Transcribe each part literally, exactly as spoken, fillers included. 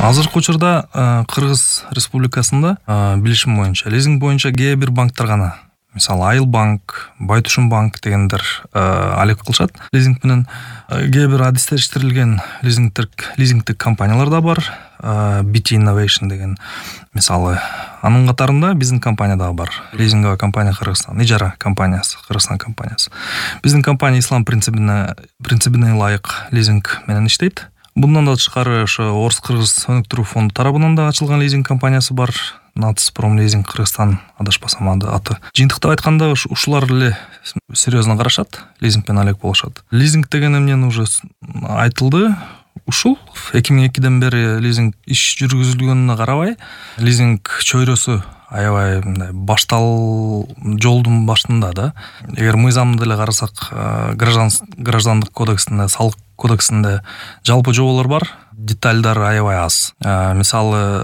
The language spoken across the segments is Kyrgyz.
Азыркы учурда Кыргыз Республикасында билишим боюнча лизинг боюнча кээ бир банктар гана, мисалы Айыл банк, Байтушун банк дегендер алек кылышат лизинг менен. Кээ бир адистештирилген лизингтик лизингтик компаниялар да бар. би ти Innovation деген мисалы. Анын катарында биздин компания да бар. Лизинговая компания Кыргызстан, ижара компаниясы, Кыргызстан компаниясы. Биздин компания ислам принцибине принцибине ылайык лизинг менен иштейт. Bundan da тышкары ошо Орус-Кыргыз өнүктүрүү фонду тарабынан да ачылган лизинг компаниясы бар. Нацпром лизинг Кыргызстан адашпасам аты. Жыйынтыктап айтканда ушулар эле серьезно карашат, лизинг менен алек болушат. Лизинг деген эмнени уже айтылды. Ушул эки миң экиден бери лизинг иш жүргүзүлгөнүнө карабай, лизинг чөйрөсү аябай мындай баштал жолдун башында да. Эгер мыйзамды деле карасак, граждандык кодексинде, салык кодексинде жалпы жоболор бар, детальдар аябай аз. Мисалы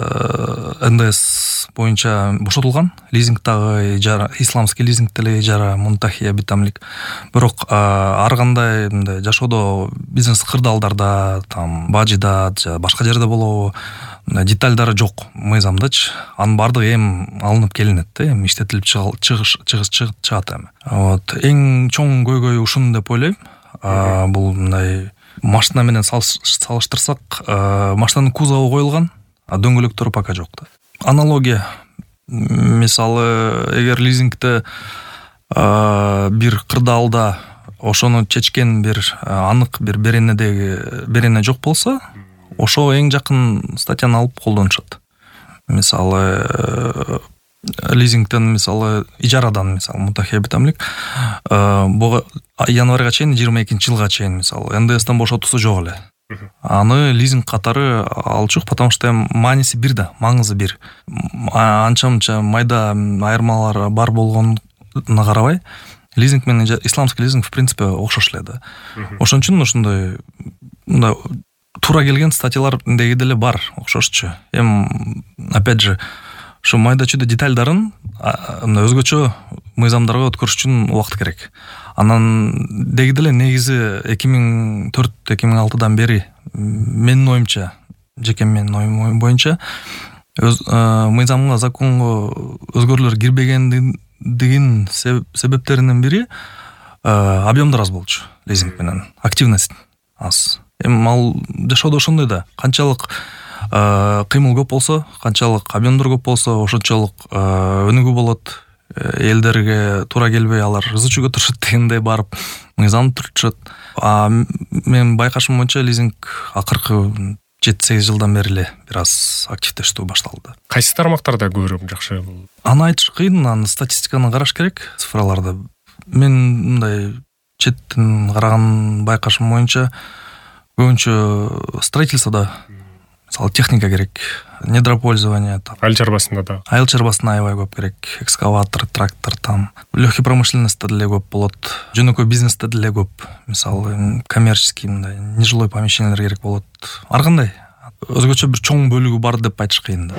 эн дэ эс боюнча бошотулган, лизингдагы ижара, исламский лизинг деле ижара, мунтахия битамлик. Бирок ар кандай мындай жашоодо бизнес кырдаалдарда, там бажыда, башка жерде болобу, детальдары жок мыйзамдачы. Анын бардыгы эми алынып келинет да, эми иштетилип чыгыш чыгыс чыгат эми. Вот эң чоң көйгөй ушун деп ойлойм. Бул мындай машина менен салыштырсак, машинанын кузову коюлган, а дөңгөлөктөрү пока жок да. Аналогия. Мисалы, эгер лизингде бир кырдаалда ошону чечкен бир анык бир беренедеги берене жок болсо, ошо эң жакын статьяны алып колдонушат. Мисалы, лизингден, мисалы, ижарадан, мисалы, мутахия битамлик, буга январга чейин, жыйырма экинчи жылга чейин, мисалы, эн дэ эстен бошотуусу жок эле. Аны лизинг катары алчук, потому что мааниси бир да, маңызы бир. Анча-мынча майда айырмалар бар болгонуна карабай, лизинг менен исламский лизинг в принципе окшош эле да. Ошон үчүн ушундай мындай туура келген статьялар деги деле бар, окшошчу. Эми опять же ошо майда-чүйдө детальдарын өзгөчө мыйзамдарга өткөрүш үчүн убакыт керек. Анан деги деле негизи эки миң төрт - эки миң алтыдан бери менин оюмча, жеке менин оюм боюнча мыйзамга, законго өзгөрүүлөр кирбегендигин себептеринин бири объемдор аз болчу лизинг менен, активность аз. Эми ал жашоодо ошондой да, канчалык кыймыл көп болсо, канчалык объемдор көп болсо, ошончолук өнүгүү болот. Элдерге туура келбей алар ызычууга турушат дегендей барып мыйзамды түртүшөт. А мен байкашым боюнча лизинг акыркы жети сегиз жылдан бери эле бир аз активдештүү башталды. Кайсы тармактарда көбүрөөк жакшы бул? Аны айтыш кыйын, аны статистиканы караш керек, цифраларды. Мен мындай четтен караган байкашым боюнча көбүнчө строительстводо, мисалы, техника керек, недропользование. Айыл чарбасында да. Айыл чарбасында аябай көп керек. Экскаватор, трактор там. Легкий промышленностьта деле көп болот. Жөнөкөй бизнесте деле көп. Мисалы, коммерческий мындай нежилой помещениялар керек болот. Ар кандай өзгөчө бир чоң бөлүгү бар деп айтыш кыйын да.